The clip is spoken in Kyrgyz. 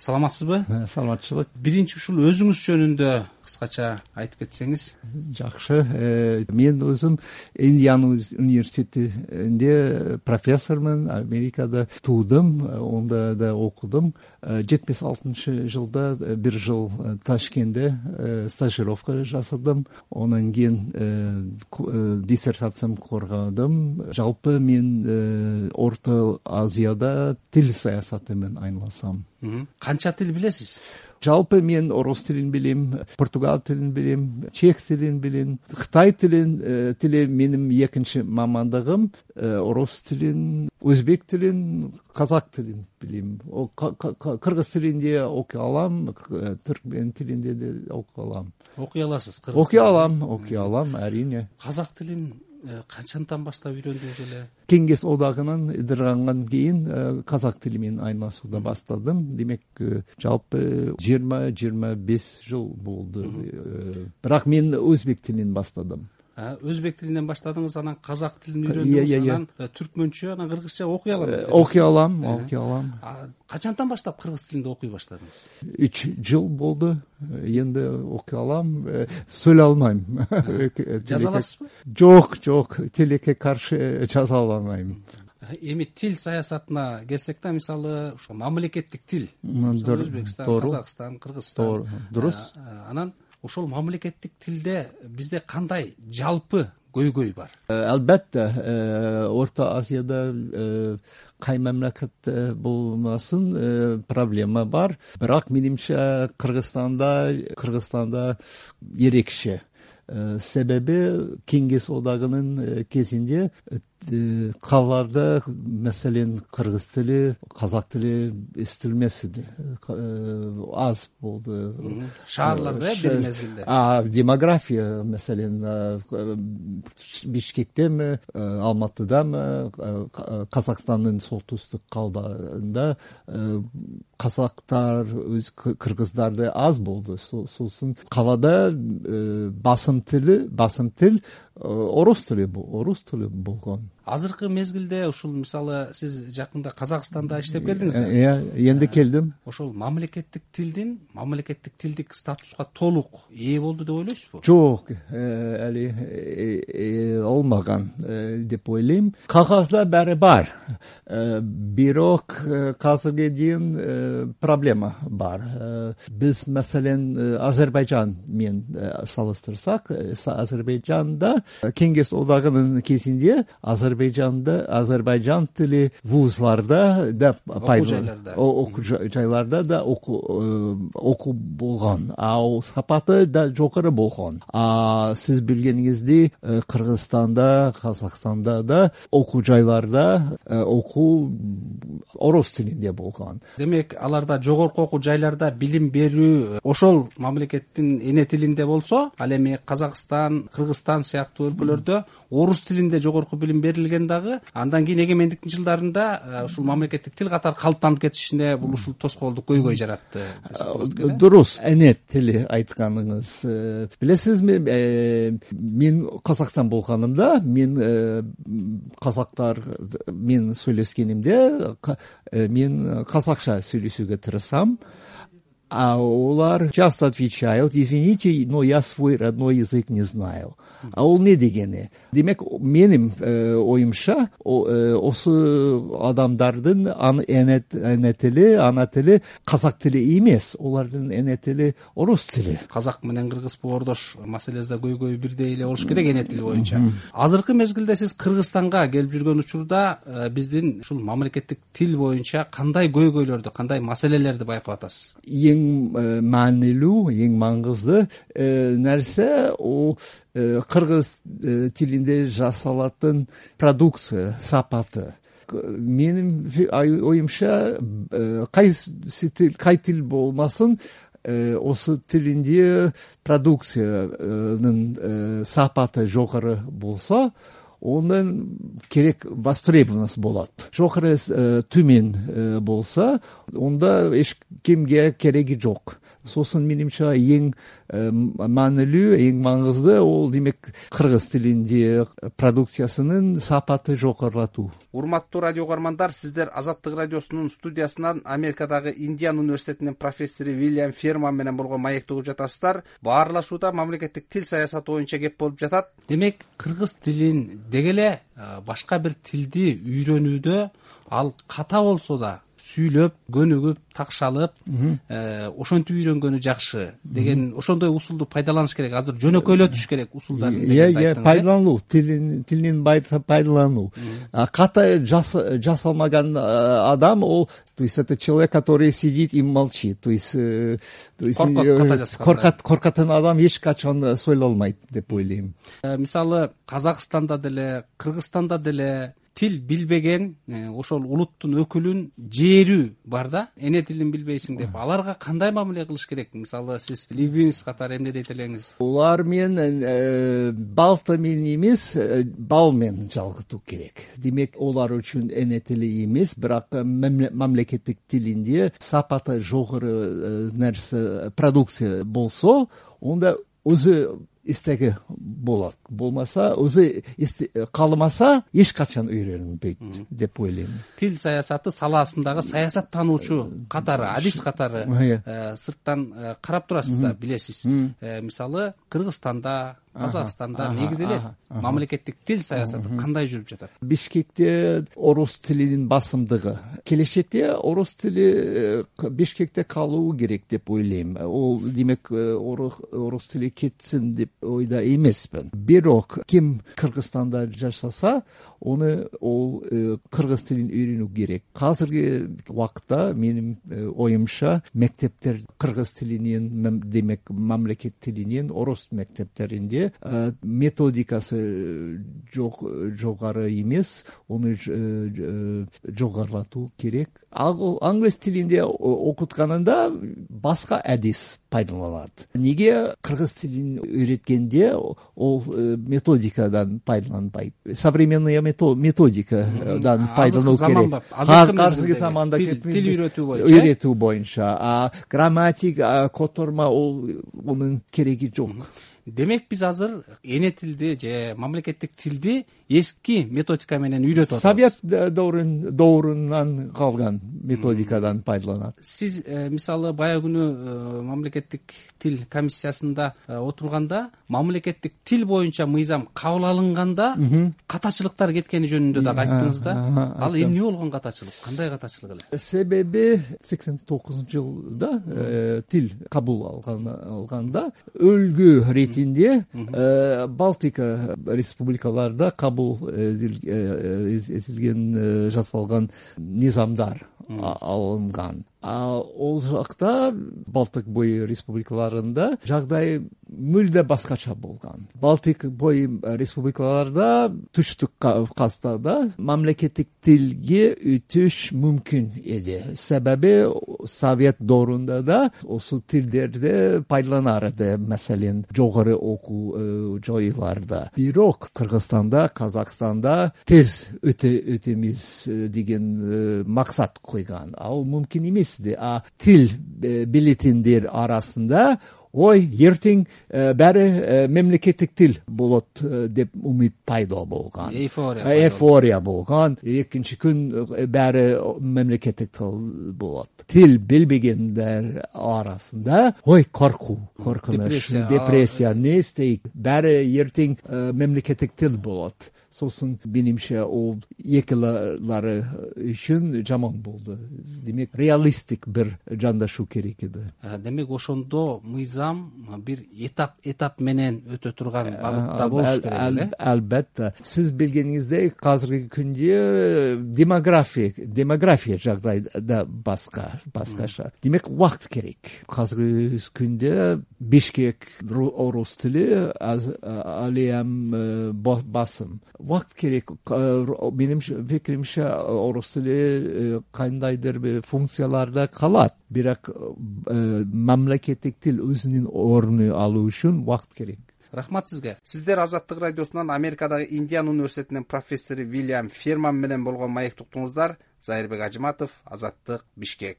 Саламатсызбы? Саламатчылык. Биринчи ушул өзүңүз жөнүндө кыскача айтып кетсеңиз. Жакшы. Мен өзүм Индиана университетинде профессормун. Америкада туудум, онда да окудум. 76-жылда бир жыл Ташкентте стажировка жасадым. Анан кийин диссертациям коргодум. Жалпы мен Орто Азияда тил саясаты менен айналасам. Канча тил билесиз? Жалпы мен орус тилин билем, португал тилин билем, чех тилин билем, Кытай тили менин экинчи мамандыгым, орус тилин, өзбек тилин, казак тилин билем. Кыргыз тилинде окуй алам, түркмен тилинде де окуй алам. Окуй аласыз? Окуй алам, әрине. Казак тилин канчадан баштап үйрөндүңүз эле? Кеңес одагынан ыдыргандан кийин казак тили менен айналышууга баштадым. Демек, жалпы 20-25 жыл болду. Бирок мен өзбек тилинен баштадым. Өзбек тилинен баштадыңыз, анан казак тилин үйрөндүңүз, анан түркмөнчө, анан кыргызча окуй алам. Окуй алам. Качандан баштап кыргыз тилинде окуй баштадыңыз? 3 жыл болду. Энди окуй алам, сүйлөй албайм. Жаза аласызбы? Жок, тилекке каршы жаза албайм. Эми тил саясатына келсек да, мисалы ошо мамлекеттик тил, Өзбекстан, Казакстан, Кыргызстан. Дурус. Анан ошол мамлекеттик тилде бизде кандай жалпы көйгөй бар? Албетте, Орто Азияда кай мамлекетте болмасын проблема бар. Бирок менимче Кыргызстанда ерекше. Себеби Кеңес одагынын кезинде калаларда, маселен, кыргыз тили, казак тили эстелмес иди. Аз болду. Шаарларда бир мезгилде. Демография, маселен, Бишкектеби, Алматыдамы, Казакстандын солтүстүк калдарында казактар, кыргыздарды аз болду. Сосын калада басым тил орус тили болгон. Азыркы мезгилде ушул, мисалы, сиз жакында Казакстанда иштеп келдиңиз да? Энди келдим. Ошол мамлекеттик тилдик статуска толук ээ болду деп ойлойсузбу? Жок, али олмаган деп ойлойм. Кагазда баары бар. Бирок азыркы чейин проблема бар. Биз, маселен, Азербайжан менен салыштырсак, Азербайжанда Кеңес одагынын кезинде Азербайжан тили вузларда да, окуу жайларда да окуу болгон. Сапаты да жокору болгон. Сиз билгениңиздей, Кыргызстанда, Казакстанда да окуу жайларда окуу орус тилинде болгон. Демек, аларда жогорку окуу жайларда билим берүү ошол мамлекеттин эне тилинде болсо, ал эми Казакстан, Кыргызстан сыяктуу өлкөлөрдө орус тилинде жогорку билим берилген дагы, андан кийин эгемендиктин жылдарында ушул мамлекеттик тил катары калыптанып кетишине бул ушул тоскоолдук көйгөй жаратты. Дурус, эне тили айтканыңыз. Билесизби, мен Казакстан болгонумда, мен казактар мен сүйлөшкенимде, мен казакча сүйлөшүүгө тырышсам, а олар часто отвечают: извините, но я свой родной язык не знаю. Ал не дегени? Демек, менин оюмча, осы адамдардын эне тили, ана тили казак тили эмес, олардын эне тили орус тили. Казак менен кыргыз боордош маселесинде көйгөй бирдей эле болуш керек эне тили боюнча. Азыркы мезгилде сиз Кыргызстанга келип жүргөн учурда биздин ушул мамлекеттик тил боюнча кандай көйгөйлөрдү, кандай маселелерди байкап атасыз? Эң маанилүү, эң маңызды нерсе о кыргыз тилинде жасалатын продукция сапаты. Менин оюмча, кай тил болмасын, осы тилинде продукциянын сапаты жогору болсо, ондан керек востребованность болот. Жогору төмен болсо, онда эч кимге кереги жок. Сосын менимче эң маанилүү, эң маңызды ол демек кыргыз тилинде продукциясынын сапаты жогорулатуу. Урматтуу радио угармандар, сиздер Азаттык радиосунун студиясынан Америкадагы Индиана университетинин профессору Вильям Ферман менен болгон маекти угуп жатасыздар. Баарлашууда мамлекеттик тил саясаты боюнча кеп болуп жатат. Демек, кыргыз тилин деги эле башка бир тилди үйрөнүүдө ал ката болсо да сүйлөп, көнүгүп, такшалып, ошентип үйрөнгөнү жакшы деген ошондой усулду пайдаланыш керек. Азыр жөнөкөйлөтүш керек усулдарын. Пайдалануу, тилин пайдалануу. Ката жасалмаган адам ол, то есть это человек, который сидит и молчит. То есть коркотун адам эч качан сойлолмойт деп ойлойм. Мисалы, Казакстанда деле, Кыргызстанда деле тил билбеген ошол улуттун өкүлүн жээрүү бар да, эне тилин билбейсиң деп. Аларга кандай мамиле кылыш керек? Мисалы, сиз лингвист катары эмне дейт элеңиз? Улар менен балта менен эмес, бал менен жалгытуу керек. Демек, олар үчүн эне тили эмес, бирок мамлекеттик тилинде сапаты жогору нерсе, продукция болсо, онда өзү истеги болот. Болмаса, өзү кааламаса, эч качан үйрөнбөйт деп ойлойм. Тил саясаты саласындагы саясаттануучу катары, адис катары сырттан карап турасыз да, билесиз. Мисалы, Кыргызстанда, Казакстанда негизи эле мамлекеттик тил саясаты кандай жүрүп жатат? Бишкекте орус тилинин басымдыгы. Келечекте орус тили Бишкекте калуу керек деп ойлойм. Ол демек орус тили кетсин деп ойда эмесмин. Бирок ким Кыргызстанда жашаса, ол кыргыз тилин үйрөнүү керек. Азыркы убакытта менин оюмча мектептер кыргыз тилинен, демек мамлекет тилинен орус мектептеринде методикасы жогары эмес, аны жогорулатуу керек. Англис тилинде окутканында башка адис пайдаланат. Неге кыргыз тилин үйрөткөндө ол методикадан пайдаланбайт? Современная методикадан пайдалануу керек. Азыркы заманда тил үйрөтүү боюнча. Грамматик, которма онун кереги жок. Демек, биз азыр эне тилди же мамлекеттик тилди эски методика менен үйрөтүп атабыз. Совет доорунан калган методикадан пайдаланат. Сиз мисалы баягы күнү мамлекеттик тил комиссиясында отурганда, мамлекеттик тил боюнча мыйзам кабыл алынганда катачылыктар кеткени жөнүндө да айттыңыз да. Ал эмне болгон катачылык? Кандай катачылык эле? Себеби 89-жылда тил кабыл алганда өлгө ретинде Балтика республикаларда кабыл этилген жасалган низамдар алынган. Ол жакта Балтик бой республикаларында жагдай мүлдө башкача болгон. Балтик бой республикаларда түштүк Кавказда мамлекеттик тилге өтүш мүмкүн эди. Себеби Совет доорунда да ошол тилдерди пайдаланар эди, маселен жогору окуу жойларда. Бирок Кыргызстанда, Казакстанда тез өтөмүз деген максат койгон. Ал мүмкүн эмес. Тил билетиндер арасында ертең бәрі мемлекеттик тил болот деп умид пайда болгон. Эйфория болгон. Экинчи күн бәрі мемлекеттик тил болот. Тил билбегендер арасында коркунуч, депрессия, не истейт, бәрі ертең мемлекеттик тил болот. Сосын менимче ол экилары үчүн жаман болду. Демек, реалистик бир жандашуу керек эди. Демек, ошондо мыйзам бир этап менен өтө турган багытта болуш керек эле. Албетте. Сиз билгениңиздей, азыркы күндө демография жагдайда башкача. Демек, убакыт керек. Азыркы күндө Бишкек орус тили ал эми басым. Убакыт керек. Менин пикиримче, орус тили кандайдыр бир функцияларда калат. Бирок мамлекеттик тил өзүнүн орнун алуу үчүн убакыт керек. Рахмат сизге. Сиздер Азаттык радиосунан Америкадагы Индиана университетинин профессору Вильям Ферман менен болгон маекти уктуңуздар. Зайырбек Ажыматов, Азаттык, Бишкек.